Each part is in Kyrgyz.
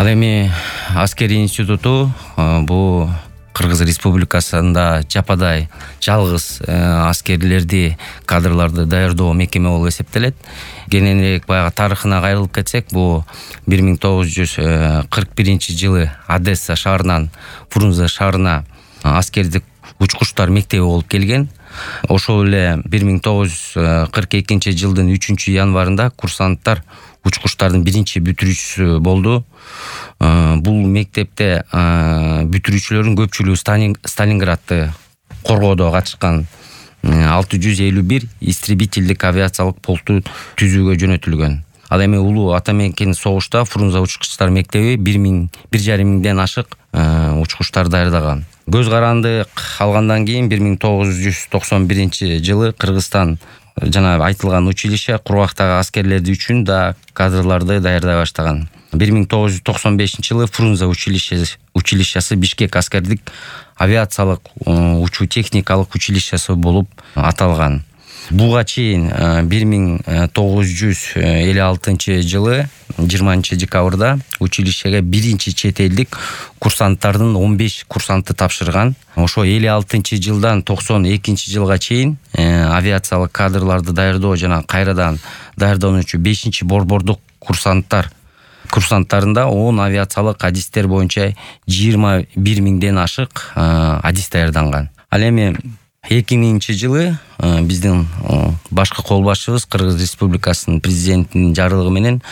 Ал эми аскерий институту бул Кыргыз Республикасында жападай жалгыз аскерлерди, кадрларды даярдоо мекеме болуп эсептелет. Кененирээк баягы тарыхына кайрылып кетсек, бул 1941-жылы Одесса шаарынан Фрунзе шаарына аскердик учкучтар мектеби болуп келген. Ошол эле 1942-жылдын 3-январында курсанттар учкучтардын биринчи бүтүрүүчүсү болду. Бул мектепте бүтүрүүчүлөрдүн көпчүлүгү Сталинградты коргоодо катышкан 651 истребительдик авиациялык полкту түзүүгө жөнөтүлгөн. Ал эми улуу ата мекен согушта Фрунзе учкучтар мектеби 1,5 ашык учкучтар даярдаган. Көз каранды алгандан кийин 1991-жылы Кыргызстан жана айтылган училище кургактагы аскерлерди үчүн да кадрларды даярдай баштаган. 1995-жылы Фрунзе училищеси Бишкек аскердик авиациялык учуу техникалык училищеси болуп аталган. Буга чейин 1956-жылы 20-декабрда училищеге биринчи чет элдик курсанттардын 15 курсанты тапшырган. Ошо 56-жылдан 92-жылга чейин авиациялык кадрларды даярдоо жана кайрадан даярдануучу 5-борбордук курсанттарында 10 авиациялык адистер боюнча 21 ашык адис даярданган. Ал эми 2000-жылы биздин башкы кол башчыбыз Кыргыз Республикасынын президентинин жарлыгы менен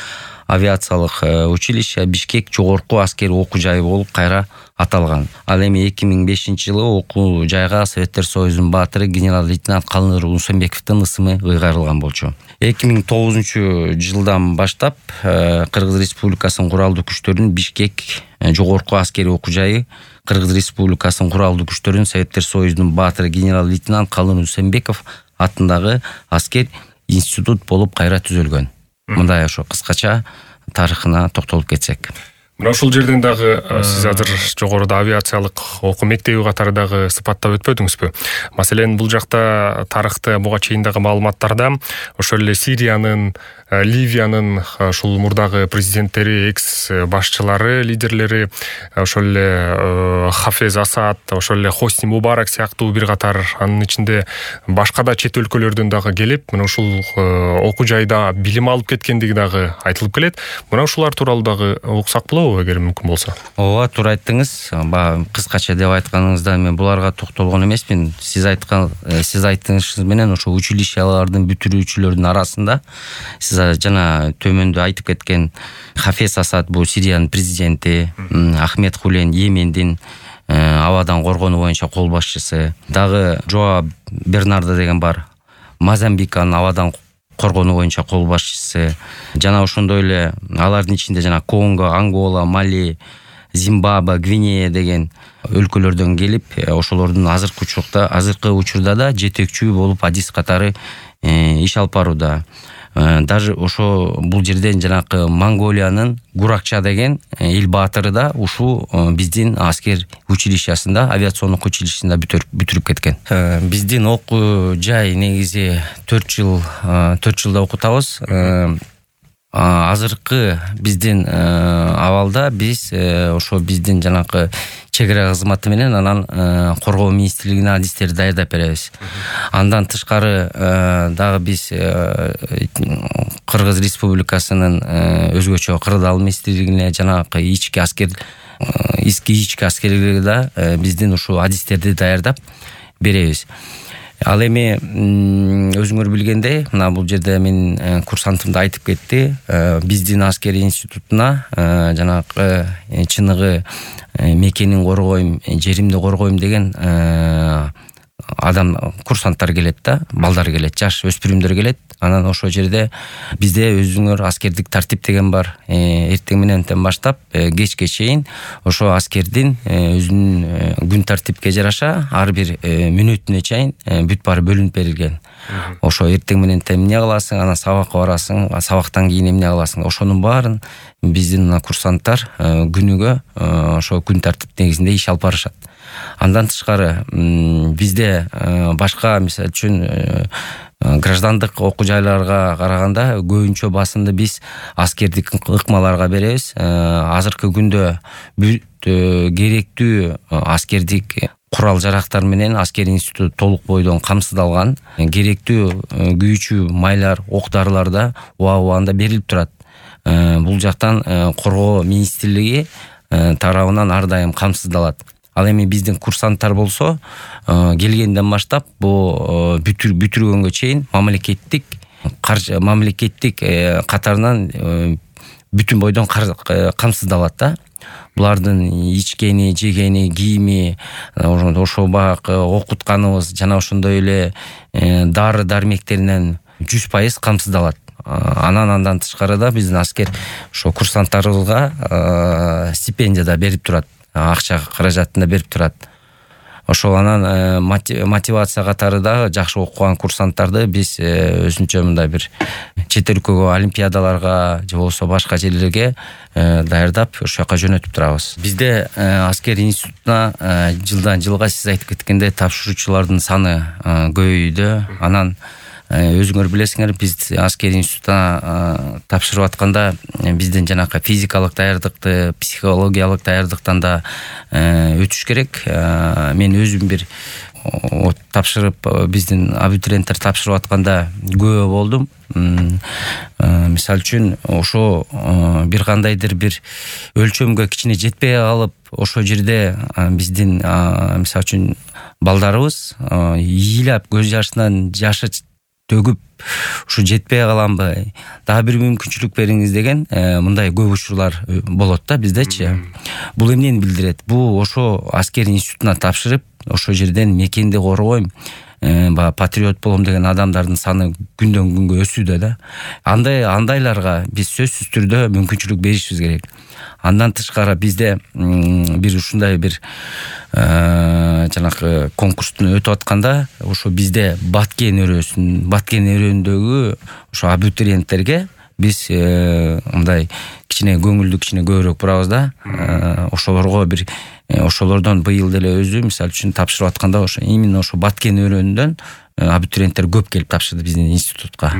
авиациялык училище Бишкек жогорку аскери окуу жайы болуп кайра аталган. Ал эми 2005-жылы окуу жайга Советтер Союзунун баатыры генерал-лейтенант Калыныр Усенбековдун ысымы ыйгарылган болчу. 2009-жылдан баштап Кыргыз Республикасынын куралдуу күчтөрүнүн Бишкек жогорку аскери окуу жайы Кыргыз Республикасынын куралдуу күчтөрүнүн Советтер Союзунун баатыры генерал-лейтенант Калыныр Усенбеков атындагы аскер институт болуп кайра түзүлгөн. Мындай ошо кыскача тарыхына токтолуп кетсек. Мына ушул жерден дагы сиз азыр жогоруда авиациялык окуу мектеби катары дагы сыпаттап өтпөдүңүзбү? Маселен, бул жакта тарыхты буга чейин дагы маалыматтарда ошол эле Сириянын, Ливиянын ушул мурдагы президенттери, экс башчылары, лидерлери, ошол эле Хафез Асад, ошол эле Хосни Мубарак сыяктуу бир катар, анын ичинде башка да чет өлкөлөрдөн дагы келип, мына ушул окуу жайда билим алып кеткендиги дагы айтылып келет. Мына ушулар тууралуу дагы уксак болобу, эгер мүмкүн болсо? Ооба, туура айттыңыз. Кыскача деп айтканыңызда мен буларга токтолгон эмесмин. Сиз айттыңыз менен ошо училищелардын бүтүрүүчүлөрдүн арасында сиз жана төмөндө айтып кеткен Хафез Асад, бул Сириянын президенти, Ахмед Хулен Йемендин абадан коргонуу боюнча кол башчысы, дагы Жоа Бернардо деген бар, Мозамбиканын абадан коргонуу боюнча кол башчысы, жана ошондой эле алардын ичинде жана Конго, Ангола, Мали, Зимбабве, Гвинея деген өлкөлөрдөн келип, ошолордун азыркы учурда да жетекчүү болуп адис катары иш алып барууда. Даже ошо бул жерден жанакы Монголиянын Гуракча деген эл баатыры да ушул биздин аскер училищесинде, авиациондук училищесинде бүтүрүп кеткен. Биздин окуу жай негизи 4 жылда окутабыз. Азыркы биздин абалда биз ошо биздин жанакы чек ара кызматы менен анан коргоо министрлигине адистерди даярдап беребиз. Андан тышкары дагы биз Кыргыз Республикасынын өзгөчө кырдаал министрлигине жанакы ички аскерлерге да биздин ушул адистерди даярдап беребиз. Ал эми өзүңөр билгендей, мына бул жерде менин курсантым да айтып кетти, биздин аскери институтуна жанакы чыныгы мекенин коргойм, жеримди коргойм деген курсанттар келет да, балдар келет, жаш өспүрүмдөр келет. Анан ошол жерде бизде өзүңөр аскердик тартип деген бар. Эртең мененден баштап кечке чейин ошо аскердин өзүнүн күн тартипке жараша ар бир мүнөтүнө чейин бүт баары бөлүнүп берилген. Ошо эртең мененден эмне кыласың, анан сабакка барасың, сабактан кийин эмне кыласың, ошонун баарын биздин курсанттар күнүгө ошо күн тартип негизинде иш алып барышат. Андан тышкары бизде башка, мисалы үчүн граждандык окуу жайларга караганда көбүнчө басымды биз аскердик ыкмаларга беребиз. Азыркы күндө керектүү аскердик курал жарактар менен аскерий институту толук бойдон камсыздалган. Керектүү күйүүчү майлар, ок дарылар да убагында берилип турат. Бул жактан коргоо министрлиги тарабынан ар дайым камсыздалат. Ал эми биздин курсанттар болсо келгенден баштап бул бүтүргөнгө чейин мамлекеттик катарынан бүтүн бойдон камсыздалат да. Булардын ичкени, жегени, кийими, ошо багы окутканыбыз жана ошондой эле дары дармектеринен 100% камсыздалат. Андан тышкары да биздин аскер ошо курсанттарыбызга стипендия да берип турат, акча каражатын да берип турат. Ошол анан мотивация катары да жакшы окуган курсанттарды биз өзүнчө мындай бир чет өлкөгө, олимпиадаларга же болбосо башка жерлерге даярдап ошол жака жөнөтүп турабыз. Бизде аскер институтуна жылдан жылга сиз айтып кеткендей тапшыруучулардын саны көбөйдү. Анан өзүңөр билесиңер, биз аскер институтуна тапшырып атканда бизден жанакы физикалык даярдыкты, психологиялык даярдыктан да өтүш керек. Мен өзүм бир тапшырып, биздин абитуриенттер тапшырып атканда күбө болдум. Мисалы үчүн ошо бир кандайдыр бир өлчөмгө кичине жетпей калып, ошол жерде биздин мисалы үчүн балдарыбыз ыйлап көз жашынан жашы төгүп ушу жетпей каламбы, дагы бир мүмкүнчүлүк бериңиз деген мындай көп учурлар болот да биздечи. Бул эмнени билдирет? Бул ошо аскер институтуна тапшырып, ошол жерден мекенди коргойм, патриот болом деген адамдардын саны күндөн күнгө өсүүдө да. Андайларга биз сөзсүз түрдө мүмкүнчүлүк беришибиз керек. Андан тышкары бизде бир ушундай бир жанакы конкурстун өтүп атканда, ошо бизде баткен өрөөндөгү ошо абитуриенттерге биз мындай кичине көңүлдү кичине көбүрөөк бурабыз да. Ошолорго бир ошолордон быйыл деле өзү мисалы үчүн тапшырып атканда ошо именно ошо баткен өрөөнүнөн абитуриенттер көп келип тапшырды биздин институтка.